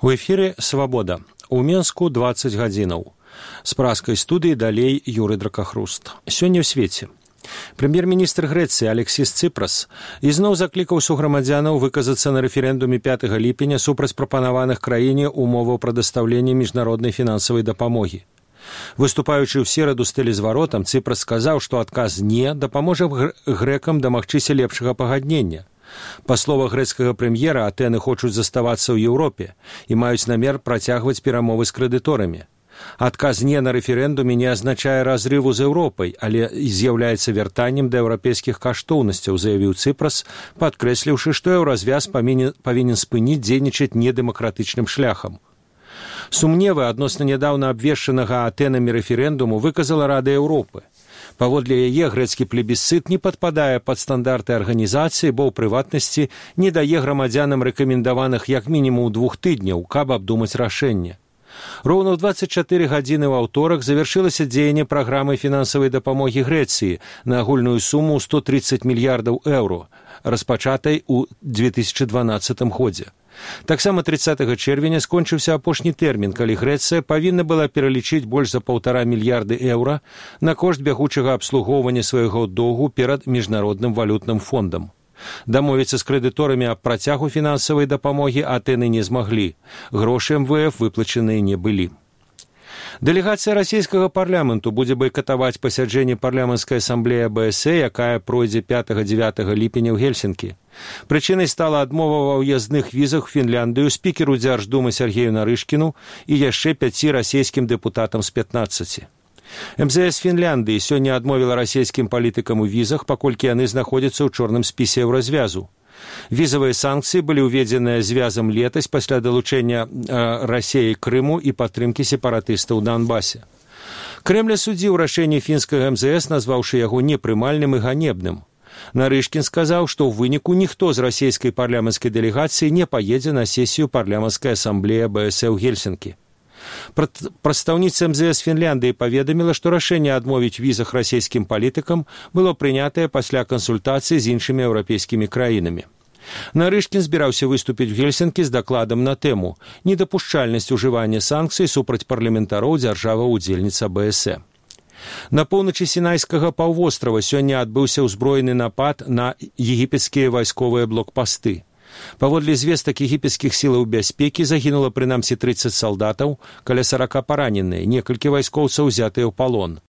У эфире «Свабода». У Менску 20 гадзінаў. З праскай студыі далей Юрый Дракахруст. Сёння ў свеце. Прэм'ер-міністр Грэцыі Алексіс Ципрас ізноў заклікаў суграмадзянаў выказацца на рэферэндуме 5 ліпеня супраць прапанаваных краіне умоваў прадастаўлення міжнароднай фінансавай дапамогі. Выступаючы ў сераду з тэлезваротам, Ципрас сказаў, што адказ «не» дапаможа грэкам дамагчыся лепшага пагаднення. Па словах грэцкага прэм'ера, Атэны хочуць заставацца ў Еўропе і маюць намер працягваць перамовы з крэдыторамі. Адказ «не» на рэферэндуме не азначае разрыву з Еўропай, але з'яўляецца вяртаннем да еўрапейскіх каштоўнасцяў, заявіў Ципрас, падкрэсліўшы, што еўразвяз павінен спыніць дзейнічаць недэмакратычным шляхам. Сумневы адносна нядаўна абвешчанага Атэнамі рэферэндуму выказала Рада Еўропы. Паводле яе грэцкі плебісцыт не падпадае пад стандарты арганізацыі, бо ў прыватнасці не дае грамадзянам рэкамендаваных як мінімум 2 тыдняў, каб абдумаць рашэнне. Роўна ў 24 гадзіны ў аўторак завяршылася дзеянне праграмы фінансавай дапамогі Грэцыі на агульную суму 130 мільярдаў еўро, распачатай у 2012 годзе. Таксама 30 чэрвеня скончыўся апошні тэрмін, калі Грэцыя павінна была пералічыць больш за 1,5 мільярды еўра на кошт бягучага абслугоўвання свайго доўгу перад міжнародным валютным фондам. Дамовіцца з крэдыторамі аб працягу фінансавай дапамогі Атэны не змаглі. Грошы МВФ выплачаныя не былі. Дэлегацыя расійскага парламенту будзе байкатаваць пасяджэнне парламенцкай асамблеі АБС, якая пройдзе 5-9 ліпеня ў Гельсінкі. Прычынай стала адмова ва ўяздных візах Фінляндыю спікеру Дзярждумы Сергею Нарышкіну і яшчэ 5 расійскім дэпутатам з 15. МЗС Фінляндыі сёння адмовіла расійскім палітыкам у візах, паколькі яны знаходзяцца ў чорным спісе еўразвязу. Візавыя санкцыі былі ўведзеныя звязам летась пасля далучэння Расіі Крыму і падтрымкі сепаратыстаў у Донбасе. Крэмль асудзіў рашэнне фінскага МЗС, назваўшы яго непрымальным і ганебным. Нарышкін сказаў, што ў выніку ніхто з расійскай парламенцкай дэлегацыі не паедзе на сесію парламенцкай асамблеі АБС ў Гельсінкі. Прадстаўніца МЗС Фінляндыі паведаміла, што рашэнне адмовіць візах расійскім палітыкам было прынятае пасля кансультацыі з іншымі еўрапейскімі краінамі. Нарышкін збіраўся выступіць у Гельсінкі з дакладам на тэму «Недапушчальнасць ужывання санкцый супраць парламентароў дзяржаваў-удзельніц АБС». На поўначы Сінайскага паўвострава сёння адбыўся ўзброены напад на егіпецкія вайсковыя блокпасты. Паводле звестак егіпецкіх сілаў бяспекі загінула прынамсі 30 салдатаў, каля 40 параненыя, некалькі вайскоўцаў узятыя ў палон.